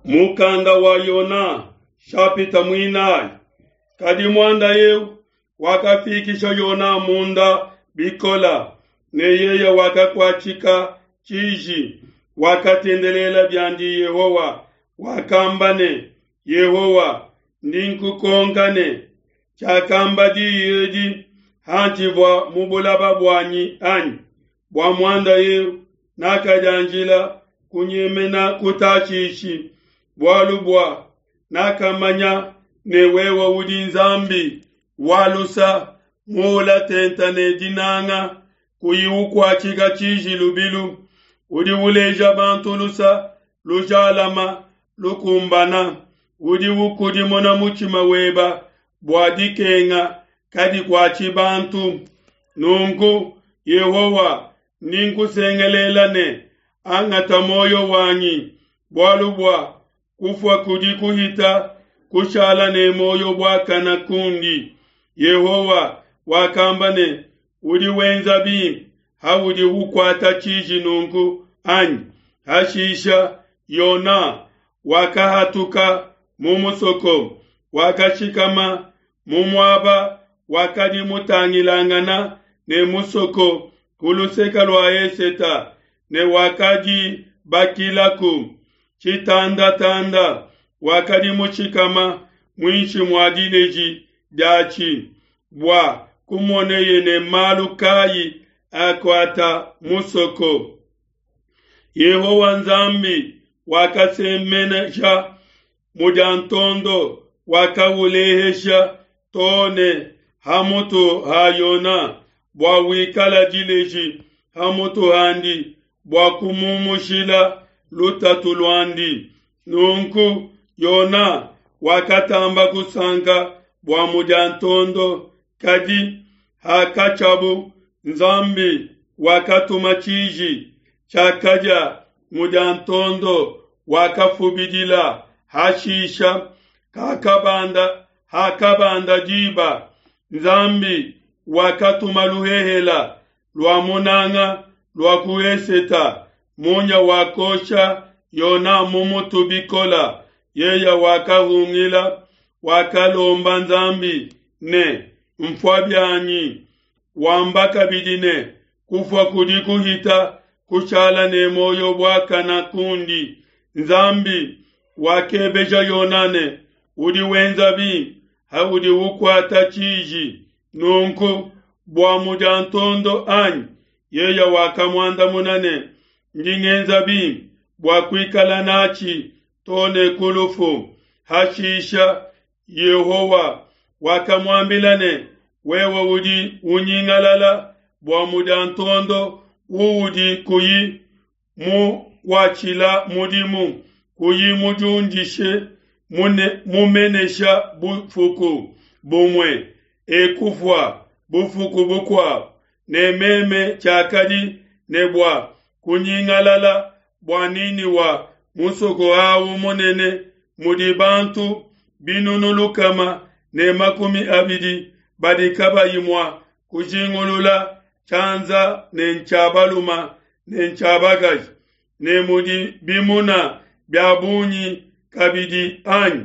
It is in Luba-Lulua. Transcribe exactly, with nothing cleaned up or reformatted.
Mukanda wa Yona shapita muinayi. Kadi muanda eu wakafikisha Yona munda bikola, ne yeye wakakuatshika tshiji, wakatendelela biandi Yehowa, wakamba ne: Yehowa, ndi nkukonka ne, tshiakamba diyi edi hantshivua mu bulaba buanyi anyi? Bua muanda eu nakadianjila kunyemena ku Tashishi, bualu bua nakamanya ne wewe udi Nzambi wa lusa, muula tenta ne dinanga, kuyi ukuatshika tshiji lubilu, udi uleja bantu lusa lujalama lukumbana, udi ukudimuna mutshima weba bua dikenga kadikuatshi bantu. Nunku Yehowa, ndi nkusengelela ne, angata muoyo wanyi, bualu bua kufua kudi kuhita kushala ne muoyo buakana kundi. Yehowa wakamba ne, udi wenza bimpe haudi ukuata tshiji nunku, anyi? Hashisha Yona wakahatuka mu musoko, wakashikama mu muaba wakadi mutangilangana ne musoko ku luseke lua eseta, ne wakadibakilaku tshitandatanda, wakadi mushikama muinshi mua dileji diatshi, bua kumoneye ne malu kayi akuata musoko. Yehowa Nzambi wakasemenesha mudiantondo, wakaulehesha to ne ha mutu ha Yona, bua wikala dileji ha mutu handi, bua kumumushila lutatu luandi. Nunku Yona wakatamba kusanka bua mudiantondo. Kadi hakatshiabu, Nzambi wakatuma tshiji tshiakadia mudiantondo, wakafubidila. Hashisha kakabanda hakabanda diba, Nzambi wakatuma luhehela lua munanga lua ku eseta, munya wakosha Yona mu mutu bikola. Yeye wakahungila, wakalomba Nzambi ne, mfua bianyi. Wamba kabidi ne, kufua kudi kuhita kushala ne muoyo buakana kundi. Nzambi wakebeja Yona ne, udi wenza bimpe haudi ukuata tshiji nunku bua mudiantondo anyi? Yeye wakamuandamuna ne, ndi ngenza bimpe bua kuikala natshi to ne ku lufu. Hashisha Yehowa wakamuambila ne, wewe udi unyingalala bua mudiantondo uudi kuyi mukuatshila mudimu, kuyi mudiundishe mumenesha bufuku bumue, ekufua bufuku bukuabu, ne meme tshiakadi ne bua kunyingalala bua Niniwa musoko awu munene mudi bantu binunu lukama ne makumi abidi badi kabayi mua kujingulula tshianza ne ntshia baluma ne ntshia bakaji, ne mudi bimuna bia bungi kabidi anyi?